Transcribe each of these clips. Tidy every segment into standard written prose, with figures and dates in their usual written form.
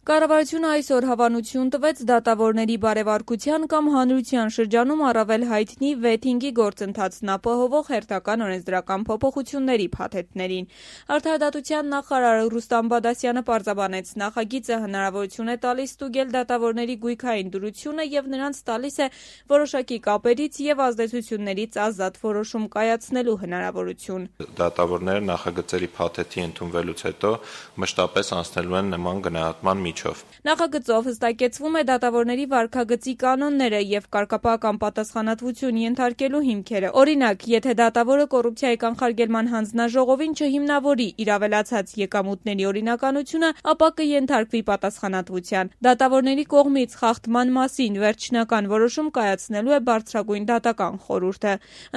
Կառավարությունը այսօր հավանություն տվեց դատավորների բարևարկության կամ հանրության շրջանում առավել հայտնի վեթինգի գործընթացն ապահովող հերթական օրենսդրական փոփոխությունների փաթեթներին։ Արդարադատության նախարար Ռուստամ Բադասյանը պարզաբանեց, նախագիծը հնարավորություն է տալիս ստուգել դատավորների գույքային դրությունը եւ նրանց տալիս է որոշակի կապերից եւ ազդեցություններից ազատ որոշում կայացնելու հնարավորություն։ Դատավորները նախագծերի փաթեթի ընդունվելուց հետո մշտապես անցնելու են նման գնահատման Նախագծով հստակեցվում է դատավորների վարքագծի կանոնները եւ կարգապահական պատասխանատվություն ենթարկելու հիմքերը։ Օրինակ, եթե դատավորը կոռուպցիայի կանխարգելման հանձնաժողովին չհիմնավորի իր ավելացած եկամուտների օրինականությունը, ապա կենթարկվի պատասխանատվության։ Դատավորների կողմից խախտման մասին վերջնական որոշում կայացնելու է բարձրագույն դատական խորհուրդը։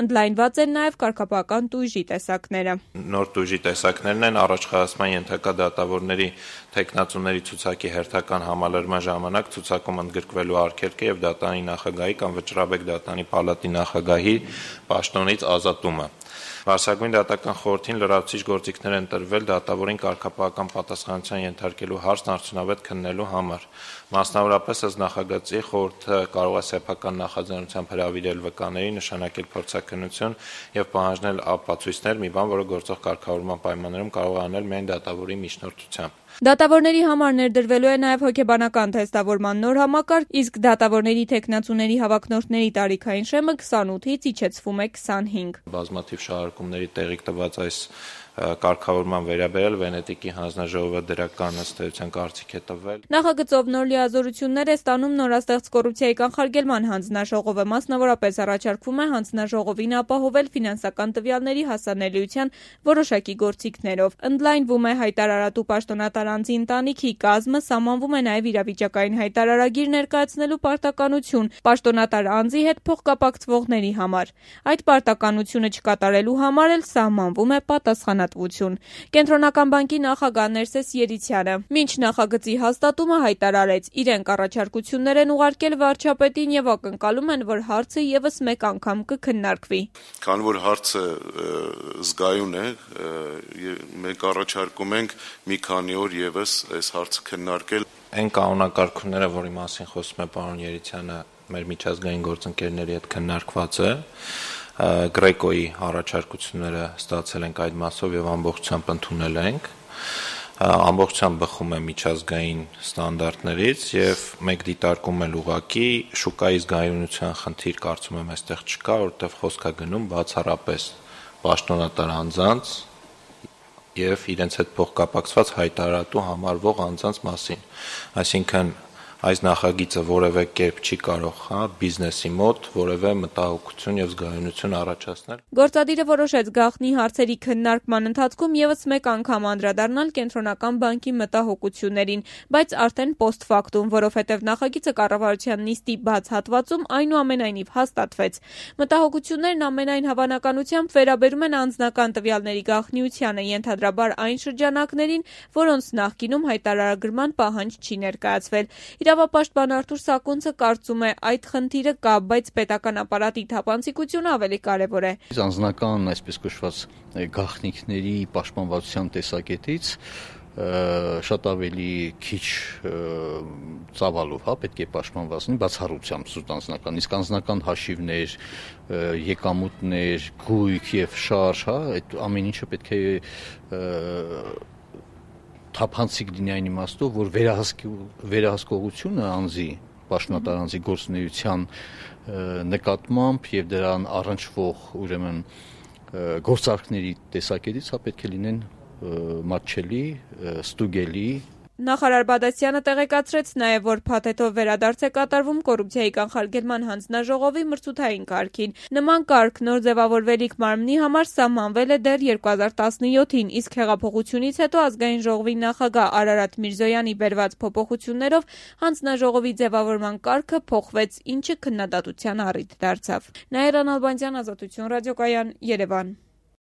Ընդլայնված են նաեւ կարգապահական տույժի տեսակները։ Նոր տույժի տեսակներն են առաջխաղացման ենթակա դատավորների թեկնածուների ցուցակի հերթական համալրման ժամանակ ցուցակում ընդգրկվելու արգելքը եւ դատանի նախագահի կամ վճռաբեկ դատանի պալատի նախագահի պաշտոնից ազատումը։ Բարձրագույն դատական խորհրդին լրացուցիչ գործիքներ են տրվել դատավորին կարգապահական պատասխանատվության ենթարկելու հարցն արդյունավետ քննելու համար։ Մասնավորապես, ըստ նախագծի, խորհուրդը կարող է սեփական նախաձեռնությամբ հրավիրել վկաների, նշանակել փորձաքննություն եւ պահանջել ապացույցներ, մի բան, որը գործող կարգավորման պայմաններում կարող է անել միայն դատավորի միջնորդությամբ։ Դատավորների համար ներդրվելու է նաև հոգեբանական թեստավորման նոր համակարգ, իսկ դատավորների թեկնածուների հավակնորդների տարիքային շեմը 28-ից իջեցվում է 25։ Բազմաթիվ շահարկումների տեղիք տված այս կարգավորման վերաբերյալ Վենետիկի հանձնաժողովը դրական ըստ էության կարծիք է տվել։ Նախագծով նոր լիազորություններ է ստանում նորաստեղծ կոռուպցիայի կանխարգելման հանձնաժողովը, մասնավորապես առաջարկվում է հանձնաժողովին ապահովել ֆինանսական տվյալների հասանելիության որոշակի գործիքներով։ Ընդլայնվում է հայտարարատու պաշտոնատար անձի ընտանիքի կազմը, սահմանվում է նաև իրավիճակային հայտարարագիր ներկայացնելու պարտականություն պաշտոնատար անձի հետ փոխկապակցվողների համար։ Այդ պարտականությունը չկատարելու համար էլ սահմանվում է պատասխանատվություն։ Կենտրոնական բանկի նախագահ Ներսես Երիցյանը մինչ նախագծի հաստատումը հայտարարեց, իրենք առաջարկություններ են ուղարկել վարչապետին եւ ակնկալում են, որ հարցը եւս մեկ անգամ կքննարկվի։ Քանի որ հարցը զգայուն է, մենք առաջարկում ենք մի քանի օր եւս այս հարցը քննարկել։ Այն կանոնակարգումները, որի մասին խոսում է պարոն Երիցյանը, մեր միջազգային գործընկերների հետ քննարկված է։ Գրեկոյի առաջարկությունները ստացել ենք այդ մասով եւ ամբողջությամբ ընդունել ենք։ Ամբողջությամբ բխում է միջազգային ստանդարտներից եւ մենք դիտարկում ենք ուղղակի շուկայի զգայունության խնդիր, կարծում եմ այստեղ չկա, որովհետեւ խոսք է գնում բացառապես պաշտոնատար անձանց եւ իրենց հետ փոխկապակցված հայտարարատու համարվող անձանց մասին, այսինքն այս նախագիծը որևէ կերպ չի կարող բիզնեսի մոտ որևէ մտահոգություն եւ զգայունություն առաջացնել։ Գործադիրը որոշեց գաղտնի հարցերի քննարկման ընթացքում եւս մեկ անգամ անդրադառնալ կենտրոնական բանկի մտահոգություններին, բայց արդեն post factum, որովհետեւ նախագիծը կառավարության նիստի բաց հատվածում այնուամենայնիվ հաստատվեց։ Մտահոգություններն ամենայն հավանականությամբ վերաբերում են անձնական տվյալների գաղտնիությանը, ենթադրաբար այն շրջանակներին, որոնց նախկինում հայտարարագրման պահանջ չի ներկայացվել։ Իրավապաշտպան Արթուր Սակունցը կարծում է, այդ խնդիրը կա, բայց պետական ապարատի թափանցիկությունը ավելի կարևոր է։ Անձնական, այսպես կոչված, գաղտնիքների պաշտպանվածության տեսակետից շատ ավելի քիչ ծավալով, պետք է պաշտպանված լինի բացառությամբ զուտ անձնական, իսկ անձնական հաշիվներ, եկամուտներ, գույք եւ շարժ, այդ ամեն ինչը պետք է թափանցիկ լինի այն իմաստով, որ վերահսկողությունը անձի, պաշտոնատար անձի գործունեության նկատմամբ եւ դրան առնչվող ուրեմն գործարքների տեսակետից պետք է լինեն մատչելի, ստուգելի։ Նախարար Բադասյանը տեղեկացրեց նաև, որ փաթեթով վերադարձ է կատարվում կոռուպցիայի կանխարգելման հանձնաժողովի մրցութային կարգին։ Նման կարգ նոր ձևավորվելիք մարմնի համար սահմանվել է դեռ 2017-ին, իսկ հեղափոխությունից հետո ազգային ժողովի նախագահ Արարատ Միրզոյանի բերված փոփոխություններով հանձնաժողովի ձևավորման կարգը փոխվեց, ինչը քննադատության առիթ դարձավ։ Նաիրա Նալբանդյան, Ազատություն ռադիոկայան, Երևան։